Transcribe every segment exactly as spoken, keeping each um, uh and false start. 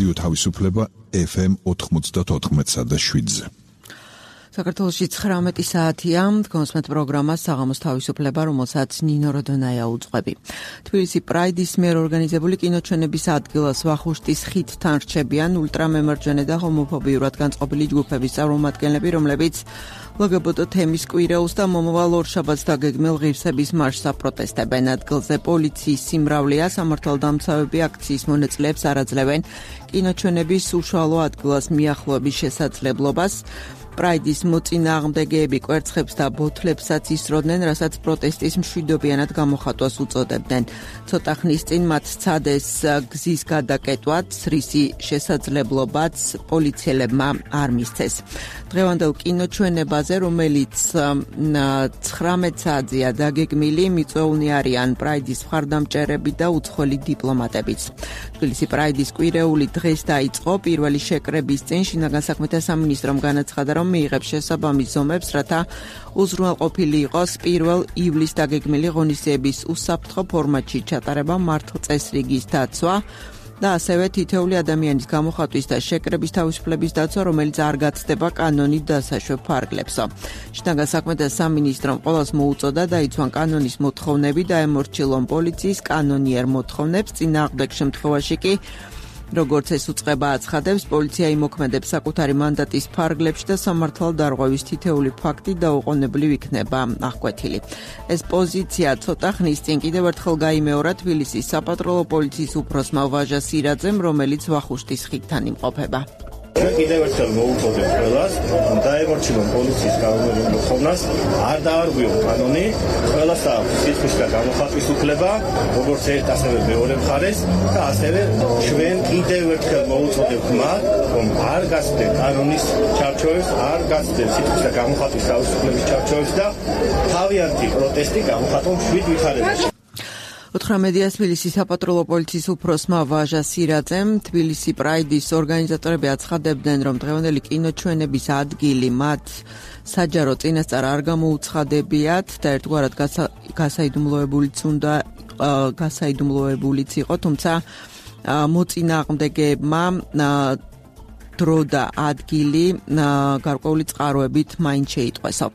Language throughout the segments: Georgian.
რადიო თავისუფლება ეფ ემ ოთხმოცდაოთხ და შვიდზე. საქართველოში ცხრამეტი საათია, გონსმეთ პროგრამა საღამოს თავისუფლება, რომელსაც ნინო როდონაია უძღვები. თბილისი პრაიდის მიერ ორგანიზებული კინოჩვენების ადგილას ვახუშტის ხიდთან რჩებიან ულტრამემარჯვენე და ჰომოფობიურად განწყობილი ჯგუფების წარმომადგენლები, რომლებიც ლგბტ თემის კვირეულს და მომავალ ორშაბათს დაგეგმილ ღირსების მარშს აპროტესტებენ. ადგილზე პოლიციის სიმრავლეა, სამართალდამცავები აქციის მონაწილეებს არ აძლევენ კინოჩვენების უშუალო ადგილას მიახლოების შესაძლებლობას. პრაიდის მოწინააღმდეგეები კვერცხებს და ბოთლებსაც ისროდნენ, რასაც პროტესტის მშვიდობიანად გამოხატვას უწოდებდნენ. ცოტა ხნის წინ მათ სცადეს გზის გადაკეტვაც, რისი შესაძლებლობაც პოლიციელებმა არ მისცეს. დღევანდელ კინოჩვენებაზე, რომელიც ცხრამეტ საათზეა დაგეგმილი, მიწვეულნი არიან პრაიდის მხარდამჭერები და უცხოელი დიპლომატებიც. თბილისი პრაიდის კვირეული დღეს დაიწყო. პირველი შეკრების წინ შინაგან საქმეთა სამინისტრომ განაცხადა, რომ მიიღებს შესაბამის ზომებს, რათა უზრუნველყოფილი იყოს პირველ ივლისს დაგეგმილი ღონისძიების უსაფრთხო ფორმატში ჩატარება, მართლწესრიგის დაცვა და ასევე თითოეული ადამიანის გამოხატვის და შეკრების თავისუფლების დაცვა, რომელიც არ გაცდება კანონით დასაშვებ ფარგლებსო. შინაგან საქმეთა სამინისტრომ ყველას მოუწოდა დაიცვან კანონის მოთხოვნები და ემორჩილონ პოლიციის კანონიერ მოთხოვნებს. წინააღმდეგ შემთხვევაში კი, როგორც ეს უწყება აცხადებს, პოლიცია იმოქმედებს საკუთარი მანდატის ფარგლებში და სამართალდარღვევის თითოეული ფაქტი დაუყოვნებლივ იქნება აღკვეთილი. ეს პოზიცია ცოტა ხნის წინ კიდევ ერთხელ გაიმეორა თბილისის საპატრულო პოლიციის უფროსმა ვაჟა სირაძემ, რომელიც ვახუშტის ხიდთან იმყოფება. ჩვენ კიდევ ერთხელ მოუწოდებ ყველას, რომ დაემორჩილონ პოლიციის კანონიერ მოთხოვნას, არ დაარღვიონ კანონი, ყველას აქვს სიტყვის და გამოხატვის უფლება, როგორც ერთ ასევე მეორე მხარეს და ასევე ჩვენ კიდევ ერთხელ მოუწოდებთ მათ, რომ არ გასცდნენ კანონის ჩარჩოებს, არ გასცდნენ სიტყვის და გამოხატვის თავისუფლების ჩარჩოებს და თავიანთი პროტესტი გამოხატონ შვიდ ვითარებაში. უთხრამეტია თბილისის საპატრულო პოლიციის უფროსმა ვაჟა სირაძემ. თბილისი პრაიდის ორგანიზატორები აცხადებდნენ, რომ დღევანდელი კინოჩვენების ადგილი მათ საჯარო წინასწარ არ გამოუცხადებიათ და ერთგვარად გასაიდუმლოებულიც უნდა გასაიდუმლოებულიც იყო, თუმცა მოწინააღმდეგეებმა დრო და ადგილი გარკვეული წყაროებით მაინც შეიტყვესო.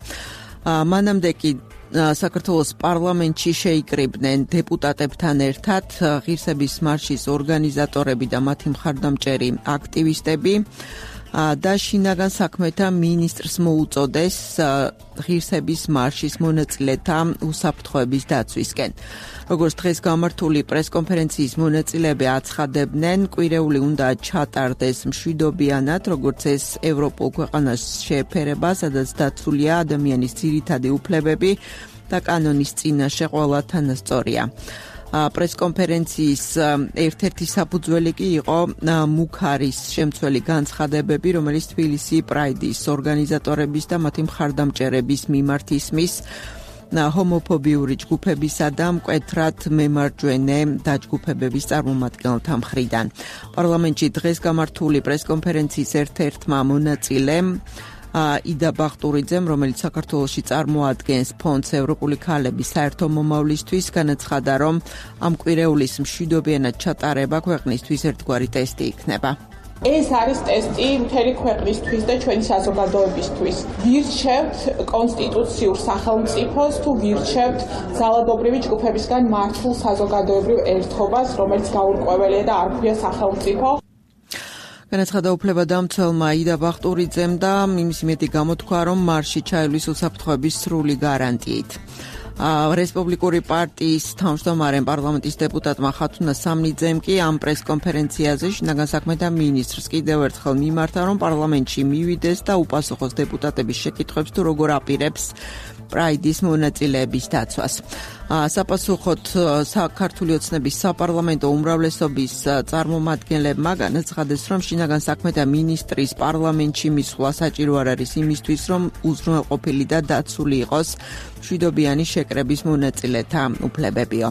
მანამდე კი საქართველოს პარლამენტში შეიკრიბნენ დეპუტატებთან ერთად ღირსების მარშის ორგანიზატორები და მათი მხარდამჭერი აქტივისტები და შინაგან საქმეთა მინისტრს მოუწოდეს ღირსების მარშის მონაწილეთა უსაფრთხოების დაცვისკენ. როგორც დღეს გამართული პრესკონფერენციის მონაწილეები აცხადებდნენ, კვირეული უნდა ჩატარდეს მშვიდობიანად, როგორც ეს ევროპულ ქვეყანას შეეფერება, სადაც დაცულია ადამიანის ძირითადი უფლებები და კანონის წინაშე ყველა თანასწორია. პრესკონფერენციის ერთ-ერთი საფუძველი კი იყო მუქარის შემცველი განცხადებები, რომელიც თბილისი პრაიდის ორგანიზატორების და მათი მხარდამჭერების მიმართ ისმის ჰომოფობიური ჯგუფებისა და მკვეთრად მემარჯვენე დაჯგუფებების წარმომადგენელთა მხრიდან. პარლამენტში დღეს გამართული პრესკონფერენციის ერთ-ერთმა მონაწილემ იდა ბახტურიძემ, რომელიც საქართველოში წარმოადგენს ფონდს ევროპული ქალების საერთო მომავლისთვის, განაცხადა, რომ ამ კვირეულის მშვიდობიანად ჩატარება ქვეყნისთვის ერთგვარი ტესტი იქნება. ეს არის ტესტი მთელი ქვეყნისთვის და ჩვენი საზოგადოებისთვის. ვირჩევთ კონსტიტუციურ სახელმწიფოს თუ ვირჩევთ ძალადობრივი ჯგუფებისგან მართულ საზოგადოებრივ ერთობას, რომელიც გაურკვეველია და არ ქვია სახელმწიფო. განაცხადა უფლებადამცველმა იდა ბახტურიძემ და იმის იმედი გამოთქვა, რომ მარში ჩაივლის უსაფრთხოების სრული გარანტიით. რესპუბლიკური პარტიის თავმჯდომარემ პარლამენტის დეპუტატმა ხათუნა სამნიძემ კი ამ პრესკონფერენციაზე შინაგან საქმეთა მინისტრს კიდევ ერთხელ მიმართა, რომ პარლამენტში მივიდეს და უპასუხოს დეპუტატების შეკითხვებს, თუ როგორ აპირებს პრაიდის მონაწილეების დაცვას. საპასუხოდ საქართველოს ოცნების საპარლამენტო უმრავლესობის წარმომადგენლებმა განაცხადეს, რომ შინაგან საქმეთა მინისტრის პარლამენტში მისვლა საჭირო არ არის იმისთვის, რომ უზრუნველყოფილი და დაცული იყოს მშვიდობიანი შეკრების მონაწილეთა უფლებებიო.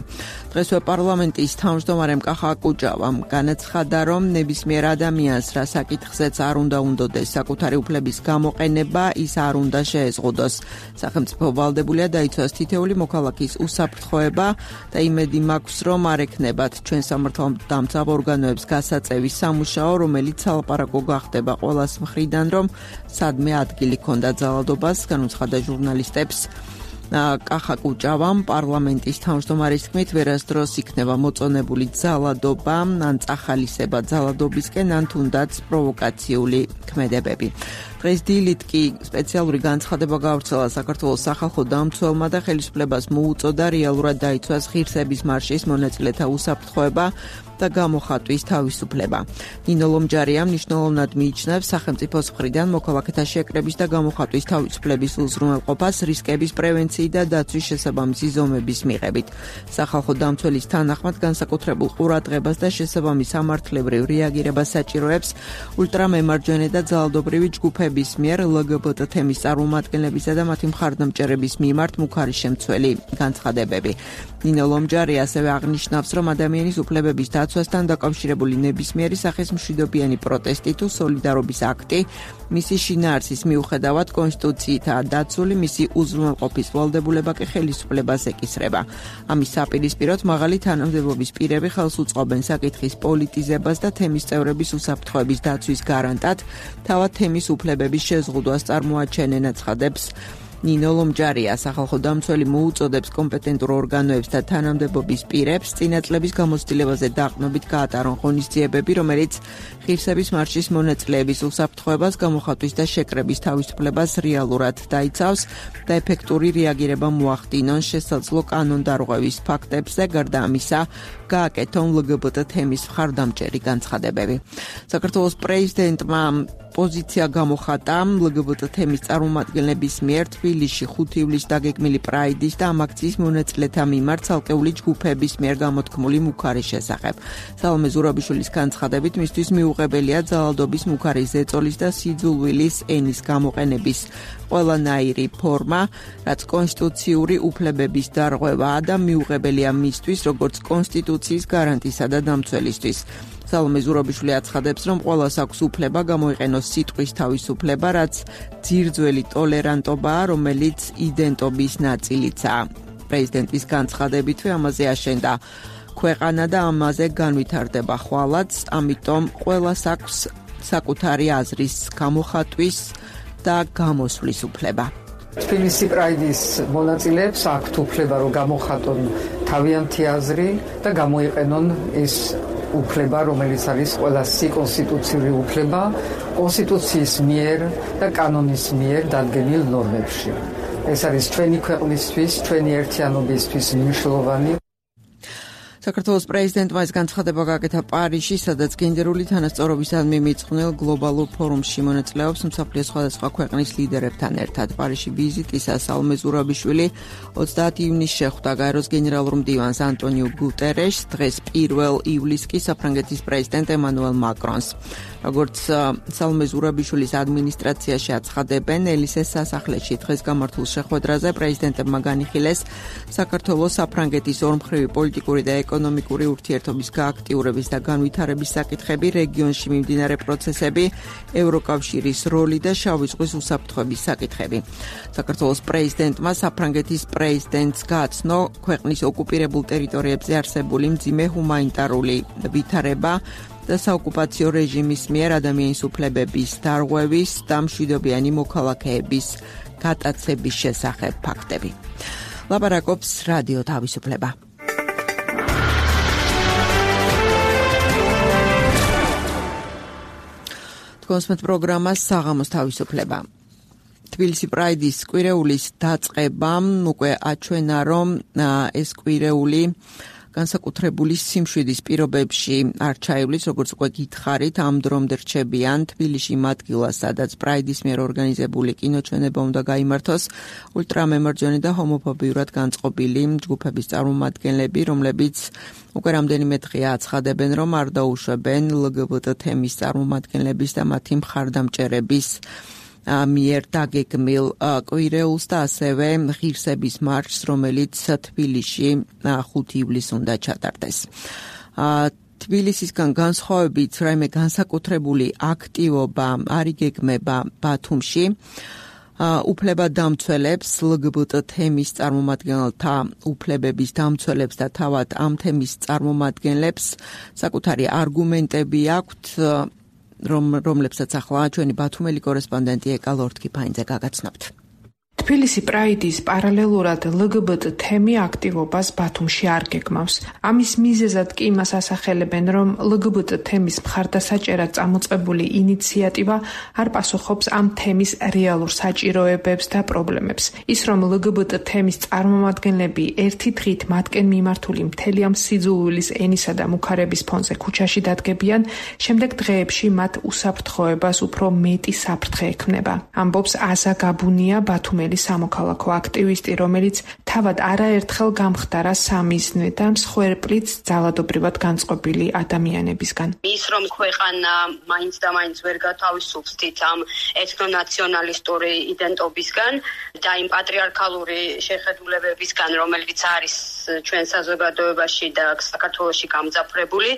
დღესვე პარლამენტის თავმჯდომარემ კახა აკუჯავამ განაცხადა, რომ ნებისმიერ ადამიანს რა საკითხზეც არ უნდა უნდოდეს საკუთარი უფლების გამოყენება, ის არ უნდა შეეზღუდოს. სახელმწიფო სახელმწიფო ვალდებულია დაიცვას თითეული მოქალაქის უსაფრთხოება და იმედი მაქვს, რომ არ ექნებათ ჩვენ სამართალდამცავ ორგანოებს გასაწევი სამუშაო, რომელიც სალაპარაკო გახდება ყველას მხრიდან, რომ სადმე ადგილი ქონდა ძალადობას, განუცხადა ჟურნალისტებს. კახა კუჭავამ პარლამენტის თავმჯდომარის თქმით, ვერასდროს იქნება მოწონებული ძალადობა, ან წახალისება ძალადობისკენ, ან თუნდაც პროვოკაციული ქმედებები. დღეს დილით კი სპეციალური განცხადება გავრცელა საქართველოს სახალხო დამცველმა და ხელისუფლებას მოუწოდა რეალურად დაიცვას ღირსების მარშის მონაწილეთა უსაფრთხოება და გამოხატვის თავისუფლება. ნინო ლომჯარია მნიშვნელოვნად მიიჩნევს სახელმწიფოს მხრიდან მოქალაქეთა შეკრების და გამოხატვის თავისუფლების უზრუნველყოფას რისკების პრევენციის და დაცვის შესაბამისი ზომების მიღებით. სახალხო დამცველის თანახმად განსაკუთრებულ ყურადღებას და შესაბამის სამართლებრივ რეაგირებას საჭიროებს ულტრამემარჯვენე და ძალადობრივი ჯგუფების მიერ ლგბტ თემის წარმომადგენლებისა და მათი მხარდამჭერების მიმართ მუქარი შემცველი განცხადებები. ნინო ლომჯარია ასევე აღნიშნავს, რომ ადამიანის უფლებების დაცვასთან დაკავშირებული ნებისმიერი სახის მშვიდობიანი პროტესტი თუ სოლიდარობის აქტი მისი შინაარსის მიუხედავად კონსტიტუციითაა დაცული, მისი უზრუნველყოფის ვალდებულება კი ხელისუფლებას ეკისრება. ამის საპირისპიროდ მაღალი თანამდებობის პირები ხელს უწყობენ საკითხის პოლიტიზებას და თემის წევრების უსაფრთხოების დაცვის გარანტად, თავად თემის უფლებების შეზღუდვას წარმოაჩენენ, აცხადებს ნინო ლომჯარია. სახალხო დამცველი მოუწოდებს კომპეტენტურ ორგანოებს და თანამდებობის პირებს წინა წლების გამოცდილებაზე დაყრდნობით გაატარონ ღონისძიებები, რომელიც ღირსების მარშის მონაწილეების უსაფრთხოებას, გამოხატვის და შეკრების თავისუფლებას რეალურად დაიცავს და ეფექტური რეაგირება მოახდინონ შესაძლო კანონდარღვევის ფაქტებზე, გარდა ამისა გააკეთონ ლგბტ თემის მხარდამჭერი განცხადებები. საქართველოს პრეზიდენტმა პოზიცია გამოხატა ლგბტ თემის წარმომადგენლების მიერ თბილისში ხუთი ივლისს დაგეგმილი პრაიდის და ამ აქციის მონაწილეთა მიმართ ცალკეული ჯგუფების მიერ გამოთქმული მუქარის შესახებ. სალომე ზურაბიშვილის განცხადებით, მისთვის მიუღებელია ძალადობის მუქარის ზეწოლის და სიძულვილის ენის გამოყენების ყველანაირი ფორმა, რაც კონსტიტუციური უფლებების დარღვევაა და მიუღებელია მისთვის, როგორც კონსტიტუციის გარანტისა და დამცველისთვის. სალომე ზურაბიშვილი აცხადებს, რომ ყველას აქვს უფლება გამოიყენოს სიტყვის თავისუფლება, რაც ძირძველი ტოლერანტობაა, რომელიც იდენტობის ნაწილიცაა. პრეზიდენტის განცხადებითვე ამაზე აშენდა ქვეყანა და ამაზე განვითარდება ხვალაც, ამიტომ ყველას აქვს საკუთარი აზრის გამოხატვის და გამოსვლის უფლება. თბილისი პრაიდის მონაწილეებს აქვთ უფლება, რომ გამოხატონ თავიანთი აზრი და გამოიყენონ ის უფლება, რომელიც არის ყველასი კონსტიტუციური უფლება, კონსტიტუციის მიერ და კანონის მიერ დადგენილ ნორმებში. ეს არის ჩვენი ქვეყნისთვის, ჩვენი ერთიანობისთვის მნიშვნელოვანი. საქართველოს პრეზიდენტმა ეს განცხადება გააკეთა პარიზში, სადაც გენდერული თანასწორობისადმი მიწყვნილ გლობალურ ფორუმში მონაწილეობს მსოფლიოს სხვადასხვა ქვეყნის ლიდერებთან ერთად. პარიზში ვიზიტისას სალომე ზურაბიშვილი ოცდაათი ივნისს შეხვდა გაეროს გენერალურ მდივანს ანტონიუ გუტერეშს, დღეს პირველ ივლისს კი საფრანგეთის პრეზიდენტ ემანუელ მაკრონს. როგორც სალომე ზურაბიშვილის ადმინისტრაციაში აცხადებენ, ელისეს სასახლეში დღეს გამართულ შეხვედრაზე პრეზიდენტებმა განიხილეს საქართველოს საფრანგეთის ორმხრივი პოლიტიკური და ეკონომიკური ურთიერთობის გააქტიურების და განვითარების საკითხები, რეგიონში მიმდინარე პროცესები, ევროკავშირის როლი და შავი ზღვის უსაფრთხოების საკითხები. საქართველოს პრეზიდენტმა საფრანგეთის პრეზიდენტს გააცნო ქვეყნის ოკუპირებულ ტერიტორიებზე არსებული მძიმე ჰუმანიტარული ვითარება და საოკუპაციო რეჟიმის მიერ ადამიანის უფლებების დარღვევის და მშვიდობიანი მოქალაქეების გატაცების შესახებ ფაქტები. ლაპარაკობს რადიო თავისუფლება. თქვენს პროგრამას საღამოს თავისუფლება. თბილისი პრაიდის კვირეულის დაწყებამ უკვე აჩვენა, რომ ეს კვირეული განსაკუთრებული სიმშვიდის პირობებში არ ჩაივლის, როგორც უკვე გითხარით, ამ დრომდე რჩებიან თბილისში იმ ადგილას, სადაც პრაიდის მიერ ორგანიზებული კინოჩვენება უნდა გაიმართოს ულტრამემარჯვენე და ჰომოფობიურად განწყობილი ჯგუფების წარმომადგენლები, რომლებიც უკვე რამდენიმე დღეა აცხადებენ, რომ არ დაუშვებენ ლგბტ თემის წარმომადგენლების და მათი მხარდამჭერების მიერ დაგეგმილ კვირეულს და ასევე ღირსების მარშს, რომელიც თბილისში ხუთი ივლისს უნდა ჩატარდეს. თბილისისგან განსხვავებით, რაიმე განსაკუთრებული აქტივობა არ იგეგმება ბათუმში. უფლება დამცველებს, ლგბტ თემის წარმომადგენელთა უფლებების დამცველებს და თავად ამ თემის წარმომადგენლებს საკუთარი არგუმენტები აქვთ, რომ რომლებსაც ახლა ჩვენი ბათუმელი კორესპონდენტი ეკა ლორთქიფაინძე გაგაცნობთ. თბილისი პრაიდის პარალელურად ლგბტ თემი აქტივობას ბათუმში არ გეგმავს. ამის მიზეზად კი იმას ასახელებენ, რომ ლგბტ თემის მხარდასაჭერად წამოწყებული ინიციატივა არ პასუხობს ამ თემის რეალურ საჭიროებებს და პრობლემებს. ის, რომ ლგბტ თემის წარმომადგენლები ერთი დღით მათკენ მიმართული მთელი ამ სიძულვილის ენისა და მუქარების ფონზე ქუჩაში დადგებიან, შემდეგ დღეებში მათ უსაფრთხოებას უფრო მეტი საფრთხე ექმნება. ამბობს აზა გაბუნია, ბათუმელი სამოქალაქო აქტივისტი, რომელიც თავად არაერთხელ გამხდარა სამიზნე და მსხვერპლიც ძალადობრივად განწყობილი ადამიანებისგან. ის რომ ქვეყანა მაინც და მაინც ვერ გათავისუფლს ამ ეთნონაციონალისტური იდენტობისგან და იმ პატრიარქალური შეხედულებებისგან, რომელიც არის ჩვენ საზოგადოებაში და საქართველოში გამძაფრებული,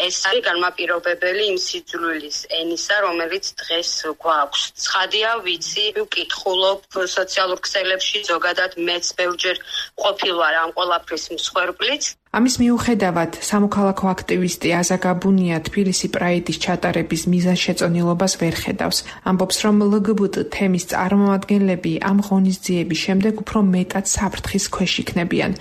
ეს არის განმაპირობებელი იმ სიძულვილის ენისა, რომელიც დღეს გვაქვს. ცხადია, ვიცი, ვკითხულობ სოციალურ ქსელებში, ზოგადად მეც ბევრჯერ ყოფილვარ ამ ყველაფრის მსხვერპლიც. ამის მიუხედავად, სამოქალაქო აქტივისტი აზა გაბუნია თბილისი პრაიდის ჩატარების მიზანშეწონილობას ვერ ხედავს. ამბობს, რომ ლგბტ თემის წარმომადგენლები ამ ღონისძიების შემდეგ უფრო მეტად საფრთხის ქვეშ იქნებიან.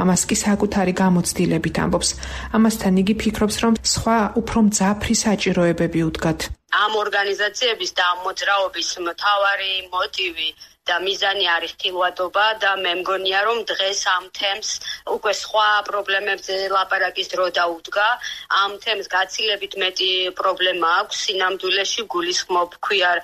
ამას კი საკუთარი გამოცდილებით ამბობს. ამასთან იგი ფიქრობს, რომ სხვა უფრო მძაფრი საჭიროებები უდგათ. ამ ორგანიზაციების და ამ მოძრაობის მთავარი მოტივი და მიზანი არის ხილვადობა და მე მგონია, რომ დღეს ამ თემს უკვე სხვა პრობლემებზე ლაპარაკის დრო დაუდგა. ამ თემს გაცილებით მეტი პრობლემა აქვს, სინამდვილეში გულისხმობ ქვიარ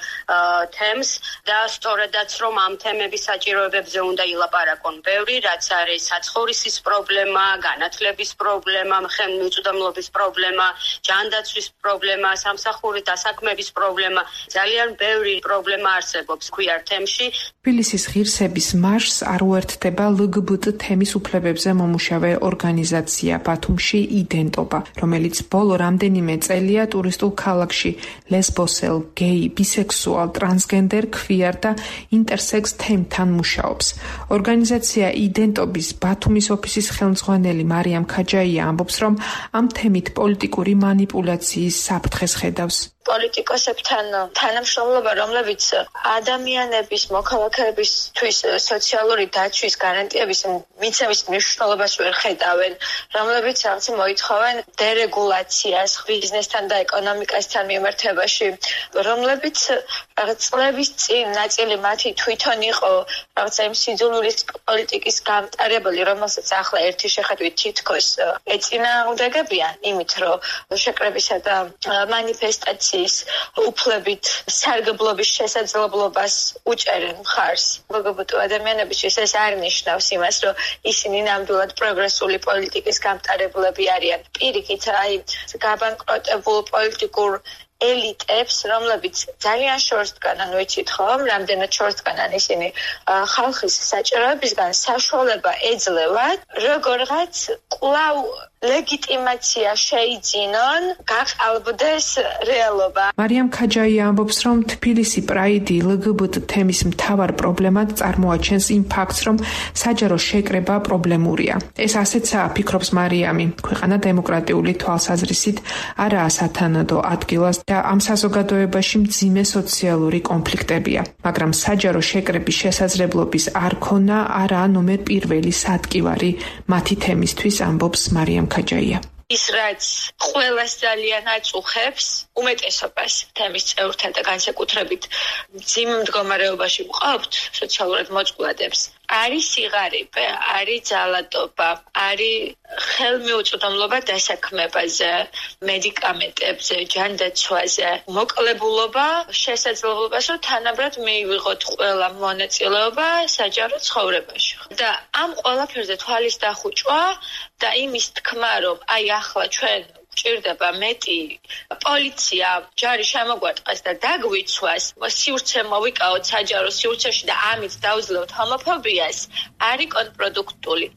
თემს და სწორედაც რომ ამ თემების საჭიროებებზე უნდა ილაპარაკონ ბევრი, რაც არის საცხოვრისის პრობლემა, განათლების პრობლემა, ხელმიწვდომლობის პრობლემა, ჯანდაცვის პრობლემა, სამსახური დასაქმების პრობლემა, ძალიან ბევრი პრობლემა არსებობს ქვიარ თემში. თბილისის ღირსების მარშს არ უერთდება ლგბტ თემის უფლებებზე მომუშავე ორგანიზაცია ბათუმში იდენტობა, რომელიც ბოლო რამდენიმე წელია ტურისტულ ქალაქში ლესბოსელ, გეი, ბისექსუალ, ტრანსგენდერ, ქვიარ და ინტერსექს თემთან მუშაობს. ორგანიზაცია იდენტობის ბათუმის ოფისის ხელმძღვანელი მარიამ ქაჯაია ამბობს, რომ ამ თემით პოლიტიკური манипуляციის საფრთხეს ხედავს. პოლიტიკოსებთან თანამშრომლობა, რომლებიც ადამიანების მოქალაქეებისთვის სოციალური დაცვის გარანტიების მიცემის მნიშვნელობას ვერ ხედავენ, რომლებიც რაღაც მოითხოვენ დერეგულაციას ბიზნესთან და ეკონომიკასთან მიმართებაში, რომლებიც რაღაც წლების წინ ნაწილი მათი თვითონ იყო რაღაცა იმ სიძულვილის პოლიტიკის გამტარებელი, რომელსაც ახლა ერთი შეხედვით თითქოს ეწინააღმდეგებიან იმით, რომ შეკრებისა და მანიფესტაციის უფლებით სარგებლობის შესაძლებლობას უჭერენ მხარს. ლგბტ ადამიანებისთვის ეს არ ნიშნავს იმას, რომ ისინი ნამდვილად პროგრესული პოლიტიკის გამტარებლები არიან. პირიქით, აი გაბანკროტებულ პოლიტიკურ ელიტებს, რომლებიც ძალიან შორს დგანან, ვიცით ხომ, რამდენად შორს დგანან ისინი ხალხის საჭიროებისგან საშუალება ეძლევათ, როგორღაც კვლავ ლეგიტიმაცია შეიძინონ, გაყალბდეს რეალობა. მარიამ ქაჯაია ამბობს, რომ თბილისი პრაიდი ლგბტ თემის მთავარ პრობლემად წარმოაჩენს იმ ფაქტს, რომ საჯარო შეკრება პრობლემურია. ეს ასეცაა, ფიქრობს მარიამი. ქვეყანა დემოკრატიული თვალსაზრისით არაა სათანადო ადგილას და ამ საზოგადოებაში მძიმე სოციალური კონფლიქტებია. მაგრამ საჯარო შეკრების შესაძლებლობის არ ქონა არაა ნომერ პირველი სადგივარი მათი თემისთვის, ამბობს მარიამ ქაჯაია. ის რაც ყველას ძალიან აწუხებს, უმეტესობას თემის წევრთან და განსაკუთრებით მძიმე მდგომარეობაში მყოფთ სოციალურად მოწყვლადებს, არის სიღარიბე, არის ძალადობა, არის ხელმიუწვდომლობა დასაქმებაზე, მედიკამენტებზე, ჯანდაცვაზე, მოკლებულობა, შესაძლებლობას, რომ თანაბრად მიიღოთ ყველა მონაწილეობა საჯარო ცხოვრებაში. და ამ ყველაფერზე თვალის დახუჭვა და იმის თქმა, რომ აი ახლა ჩვენ ჭირდება მეტი პოლიცია, ჯარი შემოგვარტყას და დაგვიცვას, სივრცე მოვიკავოთ საჯარო სივრცეში და ამით დავძლევთ ჰომოფობიას, არის კონტრპროდუქტული.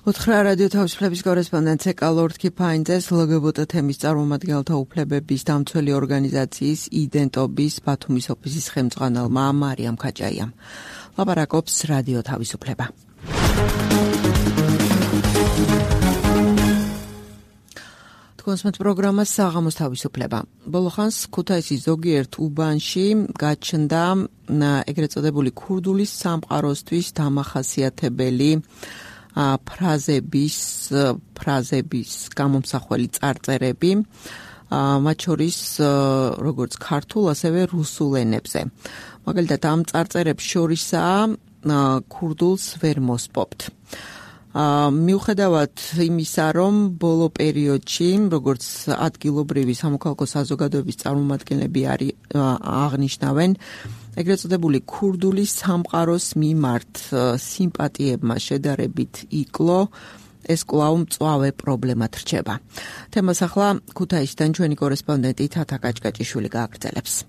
უთხრა რადიო თავისუფლების კორესპონდენტ ეკალორდ კიფაინძეს ლგბტ თემის წარმომადგენელთა უფლებების დამცველი ორგანიზაციის იდენტობის ბათუმის ოფისის ხელმძღვანელმა მარიამ ქაჭაიამ. ლაპარაკობს რადიო თავისუფლება. კონსმეთ პროგრამას საღამოს თავისუფლება. ბოლო ხანს ქუთაისის ზოგიერთ უბანში გაჩნდა ეგრეთ წოდებული ქურდული სამყაროსთვის დამახასიათებელი ფრაზების ფრაზების გამომსახველი წარწერები, მათ შორის როგორც ქართულ, ასევე რუსულ ენებზე. მაგალითად, ამ წარწერებს შორისაა ქურდულს ვერ მოსპობთ. მიუხედავად იმისა, რომ ბოლო პერიოდში, როგორც ადგილობრივი სამოქალაქო საზოგადოების წარმომადგენლები არის აღნიშნავენ, ეგრეთ წოდებული ქურდული სამყაროს მიმართ სიმპათიებმა შედარებით იკლო, ეს კვლავ მწვავე პრობლემად რჩება. თემას ახლა ქუთაისიდან ჩვენი კორესპონდენტი თათა კაჭკაჭიშვილი გააგრძელებს.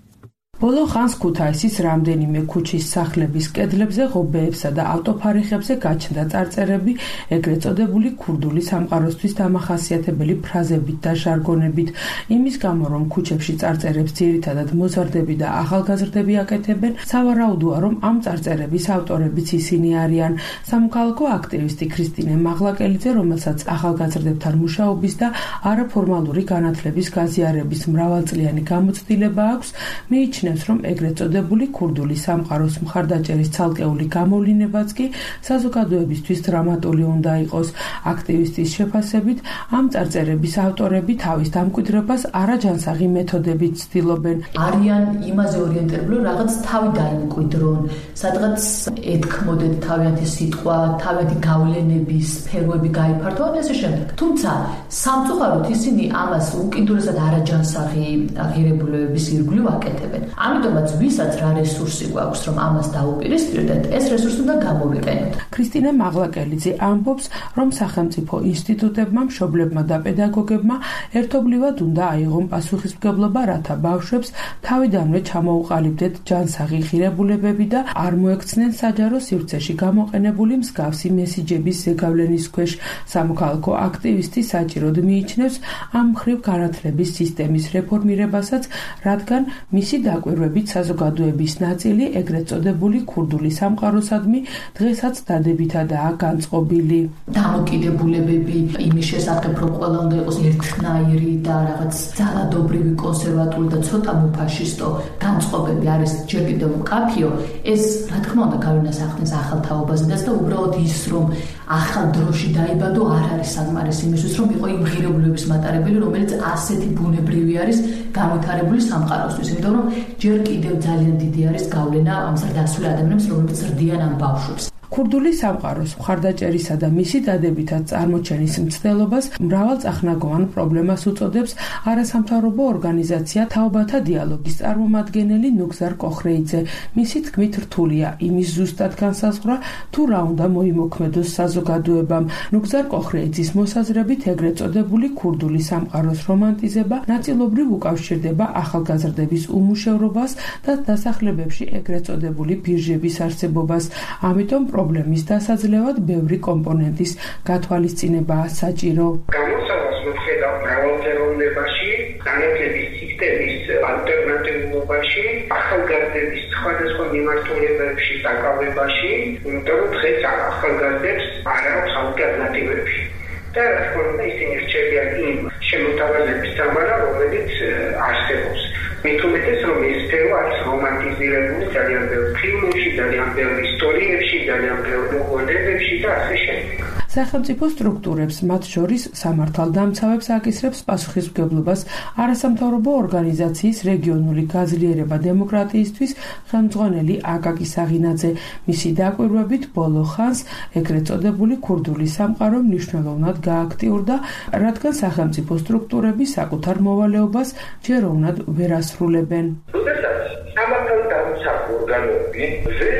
ბოლო ხანს ქუთაისის რამდენიმე ქუჩის სახლების კედლებზე, ღობეებსა და ავტოფარეხებზე გაჩნდა წარწერები ეგრეთ წოდებული ქურდული სამყაროსთვის დამახასიათებელი ფრაზებით და ჟარგონებით. იმის გამო, რომ ქუჩებში წარწერებს ძირითადად მოზარდები და ახალგაზრდები აკეთებენ, სავარაუდოა, რომ ამ წარწერების ავტორებიც ისინი არიან. სამოქალაქო აქტივისტი ქრისტინე მაღლაკელიძე, რომელსაც ახალგაზრდებთან მუშაობის და არაფორმალური განათლების გაზიარების მრავალწლიანი გამოცდილება აქვს, მიიჩნევს, რომ ეგრეთ წოდებული ქურდული სამყაროს მხარდაჭერის ცალკეული გამოვლინებაც კი საზოგადოებისთვის დრამატული უნდა იყოს. აქტივისტის შეფასებით, ამ წარწერების ავტორები თავის დამკვიდრებას არაჯანსაღი მეთოდებით ცდილობენ. არიან იმაზე ორიენტირებული, რაღაც თავი დაიმკვიდრონ, სადღაც ეთქმოდეთ თავიანთი სიტყვა, თავიანთი გავლენების სფეროები გაიფართოვონ და ასე შემდეგ. თუმცა სამწუხაროდ ისინი ამას უკიდურესად არაჯანსაღი ღირებულებების ირგვლივ აკეთებენ. ამიტომაც ვისაც რა რესურსი გვაქვს, რომ ამას დაუპირისპირდეთ, ეს რესურსი უნდა გამოვიყენოთ. ქრისტინე მაღლაკელიძე ამბობს, რომ სახელმწიფო ინსტიტუტებმა, მშობლებმა და პედაგოგებმა ერთობლივად უნდა აიღონ პასუხისმგებლობა, რათა ბავშვებს თავიდანვე ჩამოუყალიბდეთ ჯანსაღი ღირებულებები და არ მოექცნენ საჯარო სივრცეში გამოყენებული მსგავსი მესიჯების ზეგავლენის ქვეშ. სამოქალაქო აქტივისტი საჭიროდ მიიჩნევს ამ მხრივ განათლების სისტემის რეფორმირებასაც, რადგან მისი დაკვირვებით საზოგადოების ნაწილი ეგრეთ წოდებული ქურდული სამყაროსადმი დღესაც დადებითადაა განწყობილი. დამოკიდებულებები იმის შესახებ, რომ ყველა უნდა იყოს ერთნაირი და რაღაც ძალადობრივი, კონსერვატული და ცოტა მუფაშისტო განწყობები არის ჯერ კიდევ მკაფიო, ეს რა თქმა უნდა გავინასახნეს ახალ თაობაზედაც და უბრალოდ ის, რომ ახალ დროში დაიბადო, არ არის საკმარისი იმისთვის, რომ იყო იმ ღირებულებების მატარებელი, რომელიც ასეთი ბუნებრივი არის განვითარებული სამყაროსთვის. იმიტომ რომ ჯერ კიდევ ძალიან დიდი არის გავლენა ამ ზრდასრულ ადამიანებს, რომლებიც ზრდიან ამ ბავშვებს. ქურდული სამყაროს მხარდაჭერისა და მისი დადებითად წარმოჩენის მცდელობას მრავალწახნაგოვან პრობლემას უწოდებს არასამთავრობო ორგანიზაცია თაობათა დიალოგის წარმომადგენელი ნუგზარ კოხრეიძე. მისი თქმით, რთულია იმის ზუსტად განსაზღვრა, თუ რა უნდა მოიმოქმედოს საზოგადოებამ. ნუგზარ კოხრეიძის მოსაზრებით, ეგრეთ წოდებული ქურდული სამყაროს რომანტიზება ნაწილობრივ უკავშირდება ახალგაზრდების უმუშევრობას და დასახლებებში ეგრეთ წოდებული ბირჟების არსებობას. ამიტომ პრობლემის დასაძლევად ბევრი კომპონენტის გათვალისწინებაა საჭირო. გამოსავალს ვხედავ მრავალფეროვნებაში, განათლების სისტემის ალტერნატიულობაში, ახალგაზრდების სხვადასხვა მიმართულებებში დაკავებაში, იმიტომ რომ დღეს ახალგაზრდებს არ აქვს ალტერნატივები. და რა თქმა უნდა, ისინი რჩებიან იმ შემოთავაზების სამარა, რომელიც არსებობს. მით უმეტეს, რომ ეს სფერო არის რომანტიზირებული ძალიან ბევრ ფილმებში, ძალიან ბევრ ისტორიებში, ძალიან ბევრ მოგონებებში და ასე შემდეგ. სახელმწიფო სტრუქტურებს, მათ შორის სამართალდამცავებს აკისრებს პასუხისმგებლობას არასამთავრობო ორგანიზაციის რეგიონული გაძლიერება დემოკრატიისთვის ხელმძღვანელი აკაკი საღინაძე. მისი დაკვირვებით ბოლო ხანს ეგრეთ წოდებული ქურდული სამყარო მნიშვნელოვნად გააქტიურდა, რადგან სახელმწიფო სტრუქტურები საკუთარ მოვალეობას ჯეროვნად ვერ ასრულებენ. როდესაც სამართალდამცავ ორგანოები ვერ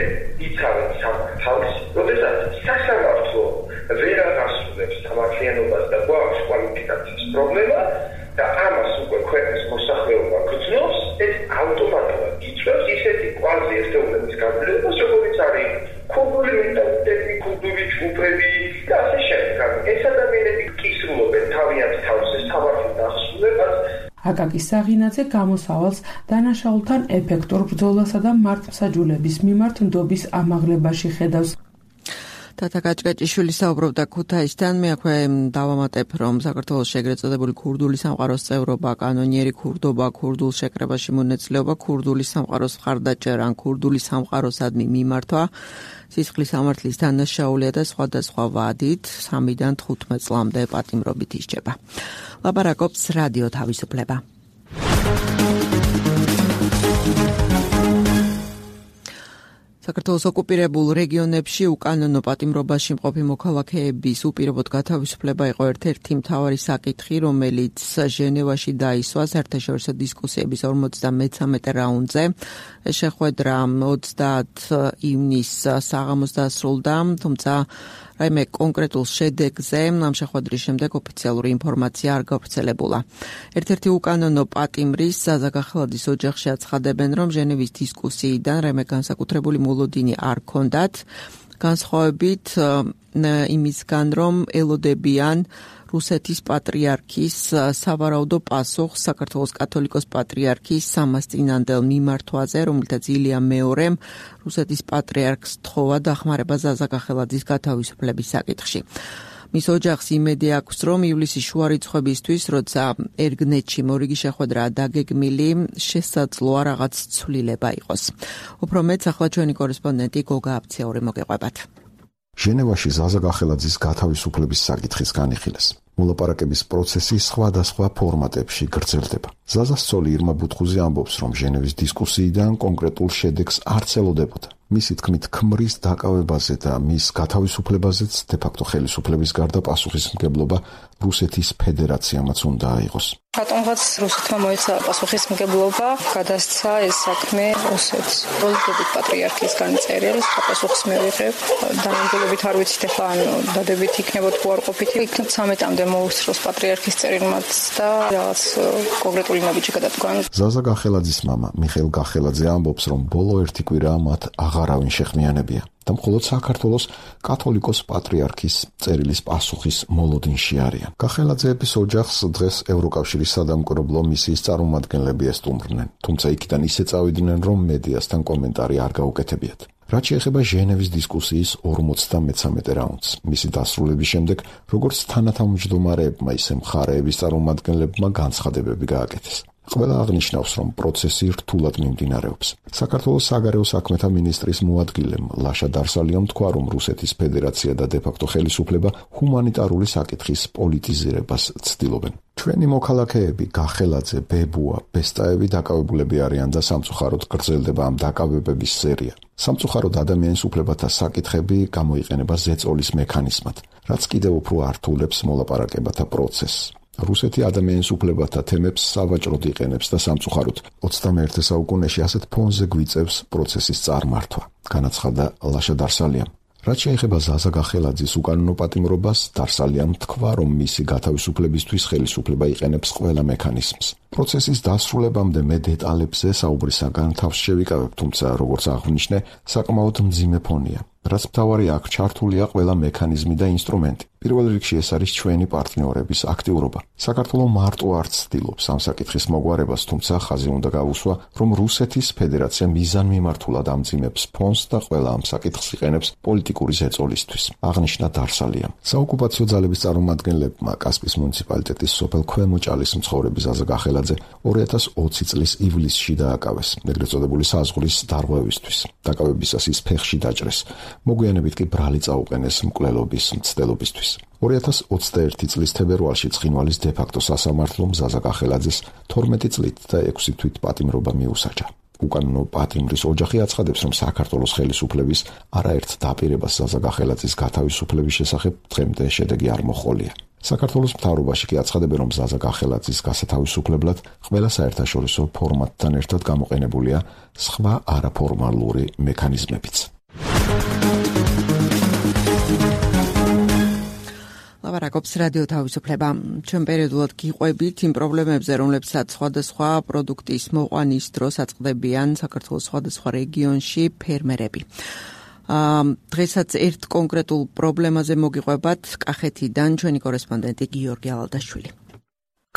იცავენ სამართალს, როდესაც სასამართლო ვერ აღასრულებს სამართლიანობას და გვაქვს კვალიფიკაციის პრობლემა და ამას უკვე ქვეყნის მოსახლეობა გრძნობს, ეს ავტომატურად იწვევს ისეთი კვაზი ერთეულების გამძლეობას, როგორიც არის ქურდული მენტალიტეტი, ქურდული ჯგუფები და ასე შემდეგ. აკაკი საღინაძე გამოსავალს დანაშაულთან ეფექტურ ბრძოლასა და მართლმსაჯულების მიმართ ნდობის ამაღლებაში ხედავს. თათა გაჭგაჭიშვილი საუბრობდა ქუთაისთან. მე აქვე დავამატებ, რომ საქართველოს ეგრეთ წოდებული ქურდული სამყაროს წევრობა, კანონიერი ქურდობა, ქურდულ შეკრებაში მონაწილეობა, ქურდული სამყაროს მხარდაჭერა ან ქურდული სამყაროსადმი მიმართვა, სისხლის სამართლის დანაშაულია და სხვადასხვა ვადით სამიდან თხუთმეტ წლამდე პატიმრობით ისჯება. ლაპარაკობს რადიო თავისუფლება. საქართველოს ოკუპირებულ რეგიონებში უკანონო პატიმრობაში მყოფი მოქალაქეების უპირობოდ გათავისუფლება იყო ერთ-ერთი მთავარი საკითხი, რომელიც ჟენევაში დაისვა საერთაშორისო დისკუსიების ორმოცდამეცამეტე რაუნდზე. შეხვედრა ოცდაათი ივნისს საღამოს დასრულდა, თუმცა რაიმე კონკრეტულ შედეგზე ამ შეხვედრის შემდეგ ოფიციალური ინფორმაცია არ გავრცელებულა. ერთ-ერთი უკანონო პატიმრის ზაზა გახელაძის ოჯახში აცხადებენ, რომ ჟენევის დისკუსიიდან რაიმე განსაკუთრებული მოლოდინი არ ჰქონდათ, განსხვავებით იმისგან, რომ ელოდებიან რუსეთის პატრიარქის სავარაუდო პასუხს საქართველოს კათოლიკოს პატრიარქის სამასწინანდელ მიმართვაზე, რომელთაც ილია მეორემ რუსეთის პატრიარქს თხოვა დახმარება ზაზა გახელაძის გათავისუფლების საკითხში. მის ოჯახს იმედი აქვს, რომ ივლისის შუა რიცხვებისთვის, როცა ერგნეთში მორიგი შეხვედრაა დაგეგმილი, შესაძლოა რაღაც ცვლილება იყოს. უფრო მეტს ახლა ჩვენი კორესპონდენტი გოგა აფციური მოგეყვებათ. ჟენევაში ზაზა გახელაძის გათავისუფლების საკითხის განიხილეს. მოლაპარაკების პროცესი სხვადასხვა ფორმატებში გრძელდება. ზაზას ცოლი ირმა ბუთხუზი ამბობს, რომ ჟენევის დისკუსიიდან კონკრეტულ შედეგს არც ელოდებოდა. მისი თქმით, ქმრის დაკავებაზე და მის გათავისუფლებაზეც დე-ფაქტო ხელისუფლების გარდა პასუხისმგებლობა რუსეთის ფედერაციამაც უნდა აიღოს. რატომღაც რუსეთმა მოეცა პასუხისმგებლობა, გადასცა ეს საქმე რუსეთს. რუსეთის პატრიარქის განწერილს პასუხს მივიღებ. დანამდვილებით არ ვიცით ახლა ან დადებით იქნება თუ არ ყოფით. იქნებ ცამეტამდე მოუსწროს პატრიარქის წერილმაც და რაღაც კონკრეტული ნაბიჯი გადადგან. ზაზა გახელაძის მამა მიხეილ გახელაძე ამბობს, რომ ბოლო ერთი კვირა მათ აღარავინ შეხმიანებია და მხოლოდ საქართველოს კათოლიკოს პატრიარქის წერილის პასუხის მოლოდინში არიან. გახელაძეების ოჯახს დღეს ევროკავშირის სადამკვირვებლო მისიის წარმომადგენლები ესტუმრნენ, თუმცა იქიდან ისე წავიდნენ, რომ მედიასთან კომენტარი არ გაუკეთებიათ. რაც შეეხება ჟენევის დისკუსიის ორმოცდამეცამეტე რაუნდს, მისი დასრულების შემდეგ, როგორც თანათავმჯდომარეებმა, ისე მხარეების წარმომადგენლებმა განცხადებები გააკეთეს. ყველა აღნიშნავს, რომ პროცესი რთულად მიმდინარეობს. საქართველოს საგარეო საქმეთა მინისტრის მოადგილემ ლაშა დარსალიამ თქვა, რომ რუსეთის ფედერაცია და დე-ფაქტო ხელისუფლება ჰუმანიტარული საკითხის პოლიტიზირებას ცდილობენ. ჩვენი მოქალაქეები გახელაძე, ბებუა, ბესტაევი დაკავებულები არიან და სამწუხაროდ გრძელდება ამ დაკავებების სერია. სამწუხაროდ ადამიანის უფლებათა საკითხები გამოიყენება ზეწოლის მექანიზმად, რაც კიდევ უფრო ართულებს მოლაპარაკებათა პროცესს. რუსეთი ადამიანის უფლებათა თემებს სავაჭროდ იყენებს და სამწუხაროდ ოცდამეერთე საუკუნეში ასეთ ფონზე გვიწევს პროცესის წარმართვა, განაცხადა ლაშა დარსალიამ. რაც შეეხება ზაზა გახელაძის უკანონო პატიმრობას, დარსალიამ თქვა, რომ მისი გათავისუფლებისთვის ხელისუფლება იყენებს ყველა მექანიზმს. პროცესის დასრულებამდე მე დეტალებზე საუბრისაგან თავს შევიკავებ, თუმცა როგორც აღნიშნე, საკმაოდ მძიმე ფონია. რაც მთავარი აქ ჩართულია ყველა მექანიზმი და ინსტრუმენტი. პირველ რიგში ეს არის ჩვენი პარტნიორების აქტიურობა. საქართველო მარტო არ ცდილობს ამ საკითხის მოგვარებას, თუმცა ხაზი უნდა გავუსვა, რომ რუსეთის ფედერაცია მიზანმიმართულად ამძიმებს ფონს და ყველა ამ საკითხს იყენებს პოლიტიკური ზეწოლისთვის, აღნიშნა დარსალიამ. საოკუპაციო ძალების წარმომადგენლებმა კასპის მუნიციპალიტეტის სოფელ ქვემოჭალის მცხოვრები ზაზა გახელაძე ორი ათას ოცი წლის ივლისში დააკავეს, ეგრეთ წოდებული საზღვრის დარღვევისთვის. დაკავებისას ის ფეხში დაჭრეს. მოგვიანებით კი ბრალი წაუყენეს მკვლელობის მცდელობისთვის. ორი ათას ოცდაერთი წლის თებერვალში ცხინვალის დე-ფაქტო სასამართლომ ზაზა გახელაძის თორმეტი წლით და ექვსი თვით პატიმრობა მიუსაჯა. უკანონო პატიმრის ოჯახი აცხადებს, რომ საქართველოს ხელისუფლების არაერთ დაპირებას ზაზა გახელაძის გათავისუფლების შესახებ დღემდე შედეგი არ მოჰყოლია. საქართველოს მთავრობაში კი აცხადებენ, რომ ზაზა გახელაძის გასათავისუფლებლად ყველა საერთაშორისო ფორმატთან ერთად გამოყენებულია სხვა არაფორმალური მექანიზმებიც. ლაპარაკობს რადიო თავისუფლება. ჩვენ პერიოდულად გიყვებით იმ პრობლემებზე, რომლებსაც სხვადასხვა პროდუქტის მოყვანის დროს აწყდებიან საქართველოს სხვადასხვა რეგიონში ფერმერები. დღესაც ერთ კონკრეტულ პრობლემაზე მოგიყვებათ კახეთიდან ჩვენი კორესპონდენტი გიორგი ალადაშვილი.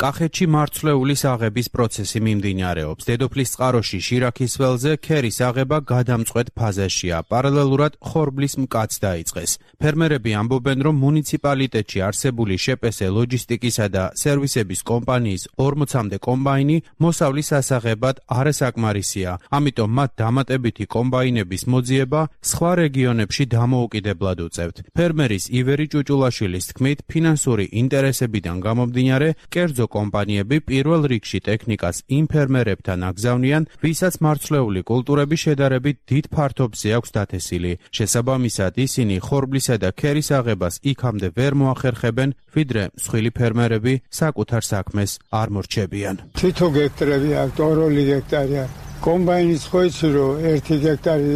კახეთში მარცვლეულის აღების პროცესი მიმდინარეობს. დედოფლის წყაროში შირაქის ველზე ქერის აღება გადამწყვეტ ფაზაშია. პარალელურად ხორბლის მკაც დაიწყეს. ფერმერები ამბობენ, რომ მუნიციპალიტეტში არსებული შეპესე ლოჯისტიკისა და სერვისების კომპანიის ორმოცამდე კომბაინი მოსავლის ასაღებად არასაკმარისია. ამიტომ მათ დამატებითი კომბაინების მოძიება სხვა რეგიონებში დამოუკიდებლად უწევთ. ფერმერის ივერი ჭუჭულაშვილის თქმით, ფინანსური ინტერესებიდან გამომდინარე, კერძო კომპანიები პირველ რიგში ტექნიკას იმ ფერმერებთან აგზავნიან, ვისაც მარცვლეული კულტურები შედარებით დიდ ფართობზე აქვს დათესილი. შესაბამისად, ისინი ხორბლისა და ქერის აღებას იქამდე ვერ მოახერხებენ, ვიდრე მსხვილი ფერმერები საკუთარ საქმეს არ მორჩებიან. თითო გექტრები აქვს, ორ-ორი გექტარია. კომბაინის ხო იცი რომ ერთი გექტარი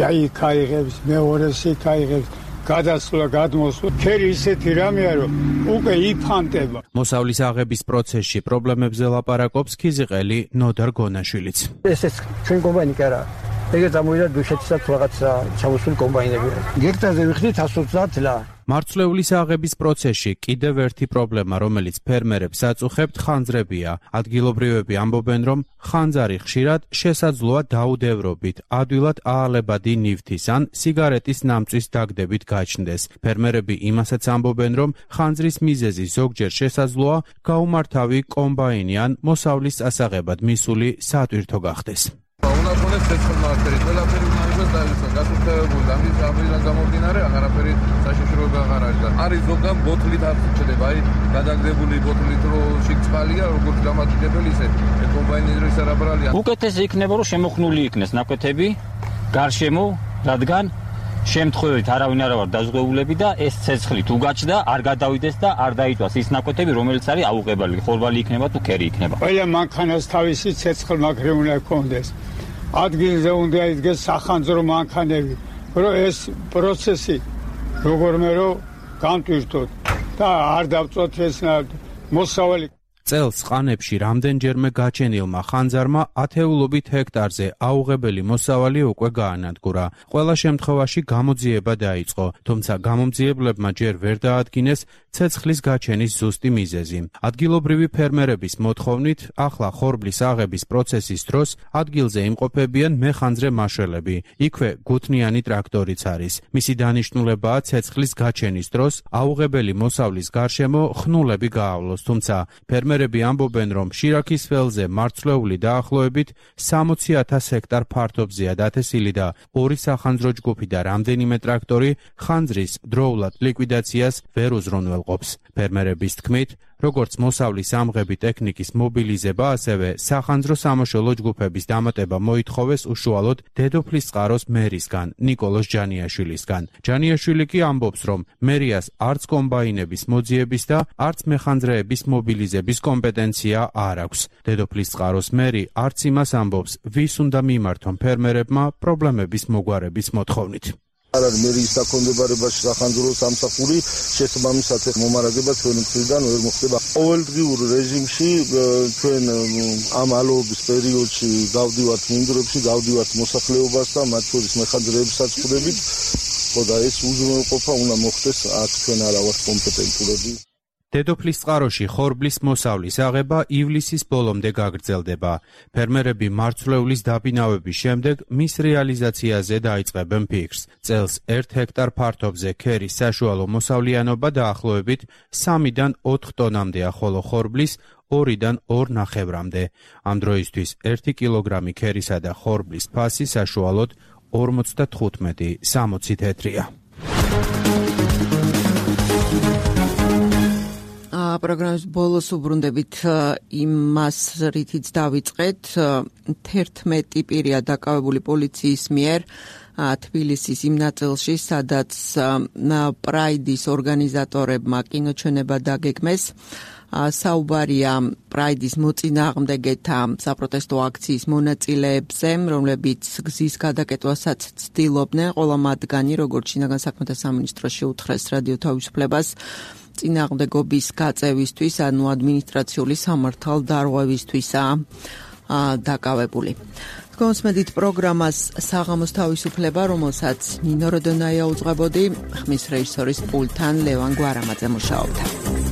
აი ქაიღებს, მეორეს იქაიღებს. გადასვლა გადმოსვლა ქერი ისეთი რამეა რომ უკვე იფანტება. მოსავლის აღების პროცესში პრობლემებზე ლაპარაკობს ქიზიყელი ნოდარ გონაშვილიც. ეს ეს ჩვენ კომბაინი კი არა. ეგეც ამოვიდა დუშეთისაც რაღაცა ჩამოსული კომბაინები. გექტარზე ვიხდით εκατს ოცდაათ ლა. მარცვლეულის აღების პროცესში კიდევ ერთი პრობლემა, რომელიც ფერმერებს აწუხებთ, ხანძრებია. ადგილობრივები ამბობენ, რომ ხანძარი ხშირად შესაძლოა დაუდევრობით, ადვილად აალებადი ნივთის ან სიგარეტის ნამწვის დაგდებით გაჩნდეს. ფერმერები იმასაც ამბობენ, რომ ხანძრის მიზეზი ზოგჯერ შესაძლოა გაუმართავი კომბაინი ან მოსავლის ასაღებად მისული სატვირთო გახდეს. უნახონეს ცეცხლმარხები, ყველაფერი უნდა იყოს დაისვა, გასუფთავებული, ამის ამიდან გამომდინარე, აღარაფერი საშიშროება აღარ არის და არის ზოგან ბოთლით არ ხდება, აი გადაგდებული ბოთლით რო შიგწყალია, როგორც დამატებელი ისე კომბაინი ის არაბრალია. უკეთესი იქნება, რომ შემოხნული იქნეს ნაკვეთები გარშემო, რადგან შემთხვევით არავინ არ ვარ დაზღვეულები და ეს ცეცხლი თუ გაჩნდა, არ გადავიდეს და არ დაიტვას ის ნაკვეთები, რომელიც არის აუღებელი, ხორბალი იქნება თუ ქერი იქნება. ყველა მანქანას თავისი ცეცხლმაგრი უნდა ჰქონდეს. ადგილზე უნდა იდგეს სახანძრო მანქანები, რომ ეს პროცესი როგორმე რომ განტვირთოთ და არ დავწოთ ეს მოსავალი. წელს ყანებში რამდენჯერმე გაჩენილმა ხანძარმა ათეულობით ჰექტარზე აუღებელი მოსავალი უკვე გაანადგურა. ყველა შემთხვევაში გამოძიება დაიწყო, თუმცა გამომძიებლებმა ჯერ ვერ დაადგინეს ცეცხლის გაჩენის ზუსტი მიზეზი. ადგილობრივი ფერმერების მოთხოვნით, ახლა ხორბლის აღების პროცესის დროს ადგილზე იმყოფებიან მეხანძრე მაშველები. იქვე გუთნიანი ტრაქტორიც არის. მისი დანიშნულებაა ცეცხლის გაჩენის დროს აუღებელი მოსავლის გარშემო ხნულები გაავლოს, თუმცა ფერმერები ამბობენ, რომ შირაქის ველზე მარცვლეული დაახლოებით სამოცი ათას ჰექტარ ფართობზეა დათესილი და ორი სახანძრო ჯგუფი და რამდენიმე ტრაქტორი ხანძრის დროულად ლიკვიდაციას ვერ უზრუნველყოფს. ფერმერების თქმით, როგორც მოსავლის ამღები ტექნიკის მობილიზება, ასევე სახანძრო სამაშველო ჯგუფების დამატება მოითხოვეს უშუალოდ დედოფლის წყაროს მერისგან, ნიკოლოზ ჯანიაშვილისგან. ჯანიაშვილი კი ამბობს, რომ მერიას არც კომბაინების მოძიების და არც მეხანძრეების მობილიზების კომპეტენცია არ აქვს. დედოფლის წყაროს მერი არც იმას ამბობს, ვის უნდა მიმართონ ფერმერებმა პრობლემების მოგვარების მოთხოვნით. არ არის მერის საკონდებარებაში სახანძრო სამსახური, შესაბამისად მომარაგება ჩვენი მხრიდან ვერ მოხდება. ყოველდღიურ რეჟიმში ჩვენ ამ ალოების პერიოდში გავდივართ მინდვრებში, გავდივართ მოსახლეობასთან, მათ შორის მეხანძრეებსაც ხვდებით, ხო და ეს უზრუნველყოფა უნდა მოხდეს, აქ ჩვენ არა ვართ კომპეტენტურები. დედოფლის წყაროში ხორბლის მოსავლის აღება ივლისის ბოლომდე გაგრძელდება. ფერმერები მარცვლეულის დაბინავების შემდეგ მის რეალიზაციაზე დაიწყებენ ფიქრს. წელს ერთ ჰექტარ ფართობზე ქერის საშუალო მოსავლიანობა დაახლოებით სამიდან ოთხ ტონამდეა, ხოლო ხორბლის ორიდან ორ ნახევრამდე. ამ დროისთვის ერთი კილოგრამი ქერისა და ხორბლის ფასი საშუალოდ ორმოცდათხუთმეტი სამოცი თეთრია. პროგრამის ბოლოს უბრუნდებით იმას, რითიც დავიწყეთ, თერთმეტი პირია დაკავებული პოლიციის მიერ თბილისის იმ ნაწილში, სადაც პრაიდის ორგანიზატორებმა კინოჩვენება დაგეგმეს. საუბარია პრაიდის მოწინააღმდეგეთა საპროტესტო აქციის მონაწილეებზე, რომლებიც გზის გადაკეტვასაც ცდილობდნენ. ყველა მათგანი, როგორც შინაგან საქმეთა სამინისტროში უთხრეს რადიო თავისუფლებას, წინააღმდეგობის გაწევისთვის, ანუ ადმინისტრაციული სამართალდარღვევისთვისაა დაკავებული. გონსმედით პროგრამას საღამოს თავისუფლება, რომელსაც ნინო როდონაია უძღვებოდი, ხმის რეჟისორის პულტთან ლევან გვარამაძე მუშაობდა.